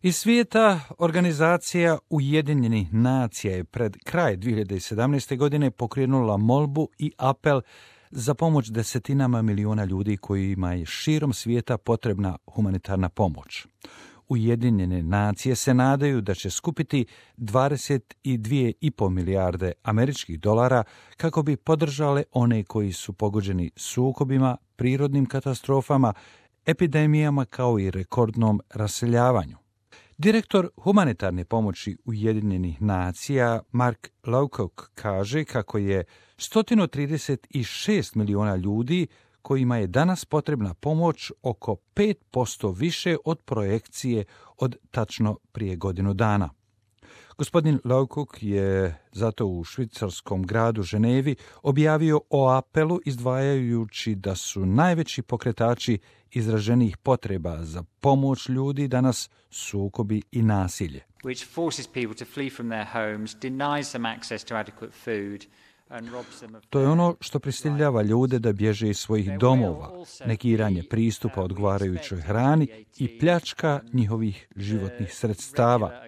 Iz svijeta organizacija Ujedinjenih nacija je pred kraj 2017. godine pokrenula molbu i apel za pomoć desetinama miliona ljudi kojima je širom svijeta potrebna humanitarna pomoć. Ujedinjene nacije se nadaju da će skupiti 22,5 milijarde američkih dolara kako bi podržale one koji su pogođeni sukobima, prirodnim katastrofama, epidemijama kao i rekordnom raseljavanju. Direktor humanitarne pomoći Ujedinjenih nacija Mark Lowcock kaže kako je 136 miliona ljudi kojima je danas potrebna pomoć oko 5% više od projekcije od tačno prije godinu dana. Gospodin Lowcock je zato u švicarskom gradu Ženevi objavio o apelu izdvajajući da su najveći pokretači izraženih potreba za pomoć ljudi danas sukobi i nasilje. Which forces people to flee from their homes, denies them access to adequate food. To je ono što prisiljava ljude da bježe iz svojih domova, negiranje pristupa odgovarajućoj hrani i pljačka njihovih životnih sredstava.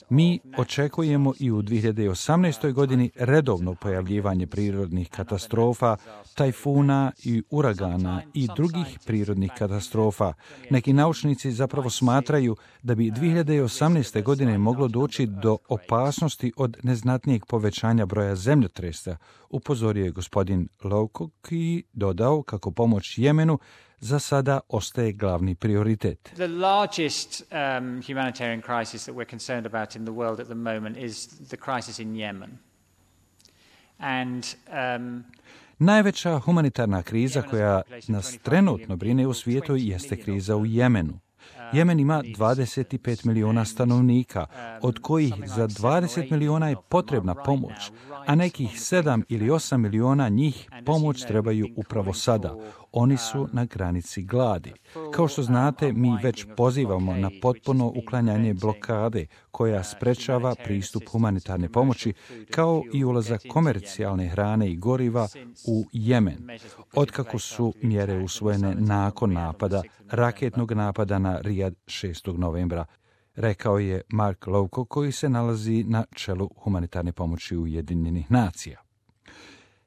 Mi očekujemo i u 2018. godini redovno pojavljivanje prirodnih katastrofa, tajfuna i uragana i drugih prirodnih katastrofa. Neki naučnici zapravo smatraju da bi 2018. godine moglo doći do opasnosti od neznatnijeg povećanja broja zemljotresa, upozorio je gospodin Lowcock i dodao kako pomoć Jemenu za sada ostaje glavni prioritet. The largest humanitarian crisis that we're concerned about in the world at the moment is the crisis in Yemen. And najveća humanitarna kriza koja nas trenutno brine u svijetu jeste kriza u Jemenu. Jemen ima 25 miliona stanovnika, od kojih za 20 miliona je potrebna pomoć, a nekih 7 ili 8 miliona njih pomoć trebaju upravo sada. Oni su na granici gladi. Kao što znate, mi već pozivamo na potpuno uklanjanje blokade koja sprečava pristup humanitarne pomoći, kao i ulazak komercijalne hrane i goriva u Jemen, otkako su mjere usvojene nakon napada, raketnog napada na Rijad 6. novembra, rekao je Mark Lowcock koji se nalazi na čelu humanitarne pomoći Ujedinjenih nacija.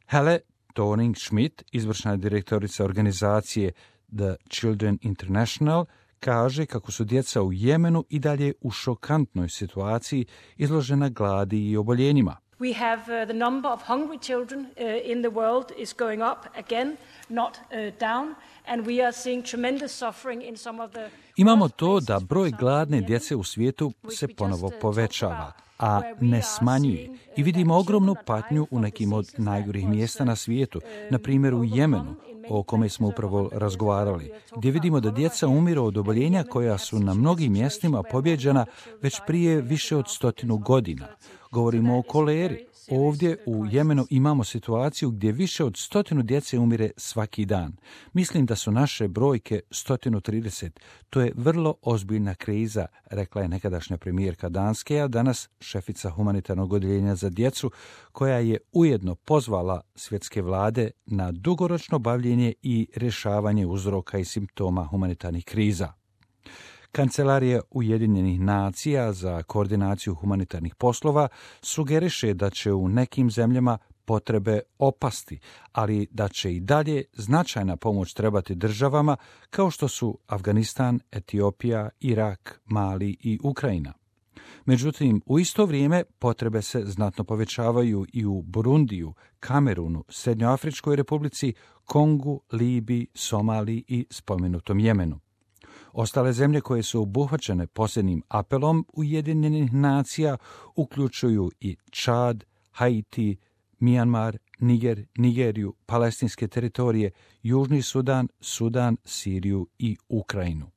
Hele Thorning-Schmidt, izvršna direktorica organizacije The Children International, kaže kako su djeca u Jemenu i dalje u šokantnoj situaciji izložena gladi i oboljenjima. We have the number of hungry children in the world is going up again, not down, and we are seeing tremendous suffering in some of the... Imamo to da broj gladne djece u svijetu se ponovo povećava, a ne smanjuje. I vidimo ogromnu patnju u nekim od najgorih mjesta na svijetu, na primjer u Jemenu, o kome smo upravo razgovarali, gdje vidimo da djeca umiru od oboljenja koja su na mnogim mjestima pobjeđena već prije više od 100 godina. Govorimo o koleri. Ovdje u Jemenu imamo situaciju gdje više od 100 djece umire svaki dan. Mislim da su naše brojke 130. To je vrlo ozbiljna kriza, rekla je nekadašnja premijerka Danske, a danas šefica humanitarnog odjeljenja za djecu, koja je ujedno pozvala svjetske vlade na dugoročno bavljenje i rješavanje uzroka i simptoma humanitarnih kriza. Kancelarija Ujedinjenih nacija za koordinaciju humanitarnih poslova sugeriše da će u nekim zemljama potrebe opasti, ali da će i dalje značajna pomoć trebati državama kao što su Afganistan, Etiopija, Irak, Mali i Ukrajina. Međutim, u isto vrijeme potrebe se znatno povećavaju i u Burundiju, Kamerunu, Srednjoafričkoj republici, Kongu, Libiji, Somaliji i spomenutom Jemenu. Ostale zemlje koje su obuhvaćene posljednjim apelom Ujedinjenih nacija uključuju i Čad, Haiti, Mijanmar, Nigeriju, palestinske teritorije, Južni Sudan, Sudan, Siriju i Ukrajinu.